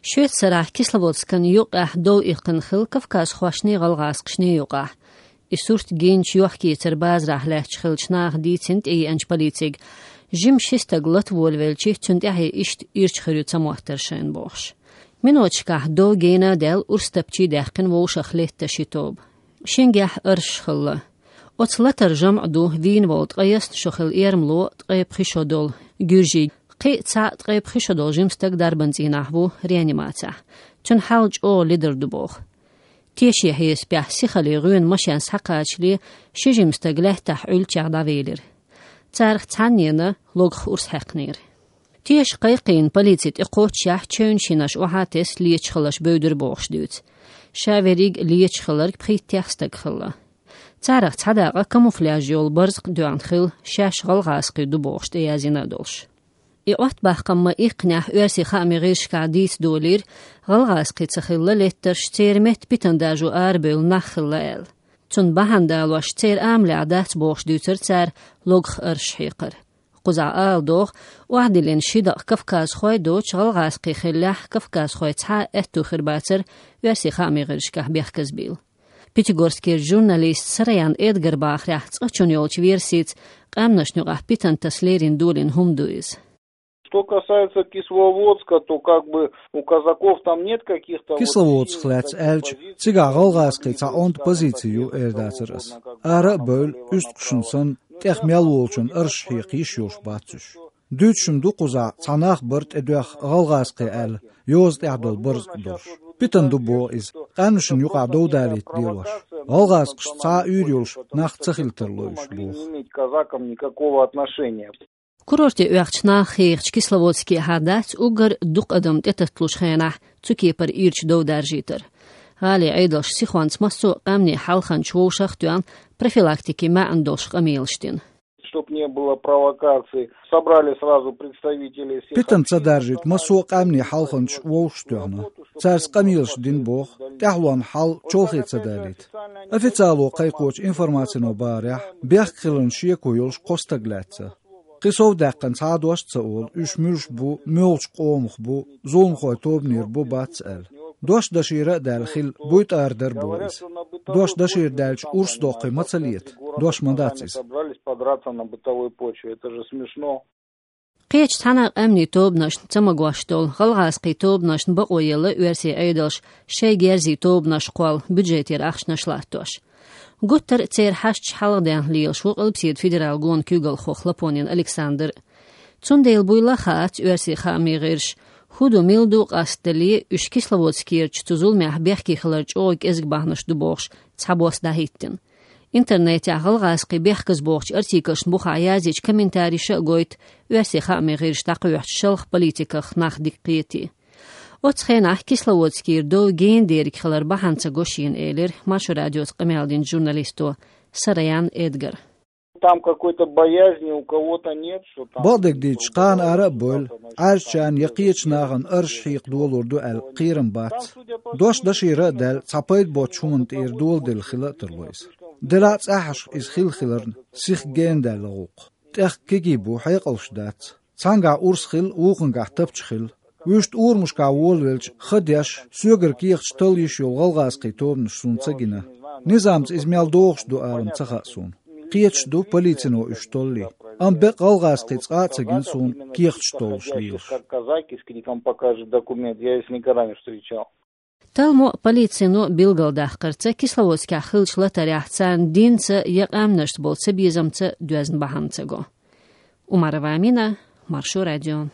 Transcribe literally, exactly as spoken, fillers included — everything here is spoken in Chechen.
Шоьца сарахь Кисловодскан юкъехь дов иккхина хилла кавказхошний, гӀалгӀазкхашний юкъахь. И сурт гинчу йохкийцар базарахь лаьтташ хиллачу наха дийцина тӀееанчу полицига. Жима ши стаг лата волавелча, цунна тӀаьхье иштта ирча хир ю ца моттар шайна бохуш. Миноташкахь дов гена а даьлла, урс тапчий даьккхина вовшах летта ши тоба. Шингехь арш хилла. Оцу латара жамӀ ду вийна волу ткъе ялх шо хилла эрмало, ткъе пхи шо долу гуьржий. Кхин а цхьаъ ткъе пхи шо долу жима стаг дарбан цӀийнахь ву, реанимацехь. Цуьнан хьал чӀогӀа ледар ду боху. Тешан хьесапехь, сихаллин гӀоьнан машен схьакхачале, ши жима стаг лаьттахь Ӏуьллучех дӀавелира. Царах цхьаннена логах урс хьаькхнера. Теша кхайкхийна полици тӀекхоччехь, чевнаш йинарш охьа а тесна, леташ хилларш бевдира бохуш дуьйцу. Ша верриг леташ хилларг пхийттех стаг хилла. Царах цхьа дакъа камуфляж йолу барзакъ доьгӀна хилла, шаьш гӀалгӀазкхий ду бохуш тӀеязйина а долуш. И Ӏоттабаккхам ма-иккхинехь, оьрсийн хаамийн гӀирсашкахь дийца долийра, гӀалгӀазкхий ца хилла леттарш, церан метта питана даржо арабевлла нах хилла аьлла. Цунна бахьана далош, церан амалехь дац бохуш дуьйцура цара логах арш хьекхар. Кхузахь ала догӀу, охьадиллина ши дакъа кавказхой доцуш, гӀалгӀазкхий хиллехь, кавказхой цхьа а аьтту хир бацара оьрсийн хаамийн гӀирсашкахь бехказбийла. Пятигорскера журналист Сараян Эдгара бахарехь, цкъачунна йолчу версица, къаьмнашна юкъахь питана таса лерина долийна хӀума ду иза. Что касается Кисловодска, то как бы у казаков там нет каких-то вот... Кисловодск лаьцна аьлча, цигахь гӀалгӀазкхийн цхьа онда позици ю, эр дацара ас. Ара а бевлла, уьстагӀашна санна, тӀех мел волчунна арш хьекха йиш йолуш бац уьш. Дуьйцуш-м ду кхузахь, цхьа нах бара тӀедоьхна гӀалгӀазкхий аьлла, йоза тӀехь долу барзакъ долуш. Питана ду боху иза, къаьмнашна юкъахь дов далийта лелош. ГӀалгӀазкхашца цхьа а уьйр йолуш нах ца хила тарло уьш боху. Казакам никакого отношения. Курорте оьхучу наха хьехачу Кисловодске хьадац, уггар дукха адам тӀетатталучу хенахь цу кепара ирча дов даржийтар. ГӀалин Ӏедалша сихонца массо а къаьмнийн хьалханчаш вовшах а тоьхна, профилактикин маьӀна долуш къамелаш дина. Чтоб не было провокаций, собрали сразу представителей всех... Питана ца даржийта массо а къаьмнийн хьалханчаш вовшах а тоьхна. Цаьрца къамелаш дина боху, тӀаьхьалонна хьал чолхе ца далийта. Официало кхайкхочу информацино бахарехь, бехк хиларна шеко йолуш кхо стаг лаьцна. Кхин сов даьккхина цхьа а дош а ца олу, уьш муьлш бу, муьлхачу къомах бу, зуламхойн тобанера бу, бац аьлла. Дош дашийра а даьлла хилла, буй тӀара дара боху иза. Дош дашийра даьлча, урс доккхий ма ца лета? Дош ма дац иза. Собрались подраться на бытовой почве. Это же смешно. Кхечу цхьана а къаьмнийн тобанашна ца магош долу, гӀалгӀазкхийн тобанашна бакъо елла оьрсийн Ӏедалша шайн герзийн тобанаш кхолла, бюджетера ахчанаш латтош. Гуттар а церан хьашташ хьалхаденна лелаш ву Къилбаседа федералан гонан куьйгалхо Хлопонин Александр. Цундела буйла а хаац оьрсийн хаамийн гӀирсаша, хӀун ду, мила ду къастале, уьш Кисловодскерчу цу зуламехь бехке хилар чӀогӀа кӀезиг бахьанаш ду бохуш, цхьабосса дӀахӀиттина. Интернетехь гӀалгӀазкхийн бехказбохучу артиклашна бухахь язйича, комментарийша а гойту оьрсийн хаамийн гӀирсаша дӀакхоьхьучу шалха политиках нах дика кхетий. Оцу хенахь Кисловодскера дов гена дерг хилар бахьана ца го шена, элира Маршо радиоца къамел динчу журналисто Сараян Эдгара. Там какой-то боязни у кого-то нет, что там... Бакъдерг дийцича, кхана ара а бевлла, Ӏаьржачарна я кхечу нахана арш хьекха долор ду аьлла кхерам бац. Дош дашийра а даьлла, цхьа пайда боцчу хӀуманна тӀера доладелла хила а тарло иза. Делахь а цӀахьашха иза хилла хиларна, сиха гена даьлла гӀуллакх. ТӀехь кегий бу, хьекъалш дац. Цхьаьнгахь урс хилла, вукхуьнгахь тапча хилла. Вуьшта урамашкахь волавелча, ха деш, соьгара кехаташ талла йиш йолу гӀалгӀазкхийн тобанаш суна ца гина. Низамца иза мел догӀуш ду аларна ца хаьа суна. Кхеташ ду полицино уьш толлий. Амма бекъа гӀалгӀазкхий цкъа а ца гина суна кехаташ толлуш лелаш. Как казак, если он покажет документ, я их никогда не встречал. Талламо а, полицино а билгалдаккхарца, Кисловодскехь хиллачу латарехь царна динца я къаьмнашца болу цабезамца доьзна бахьана ца го. Умарова Амина, Маршо радио.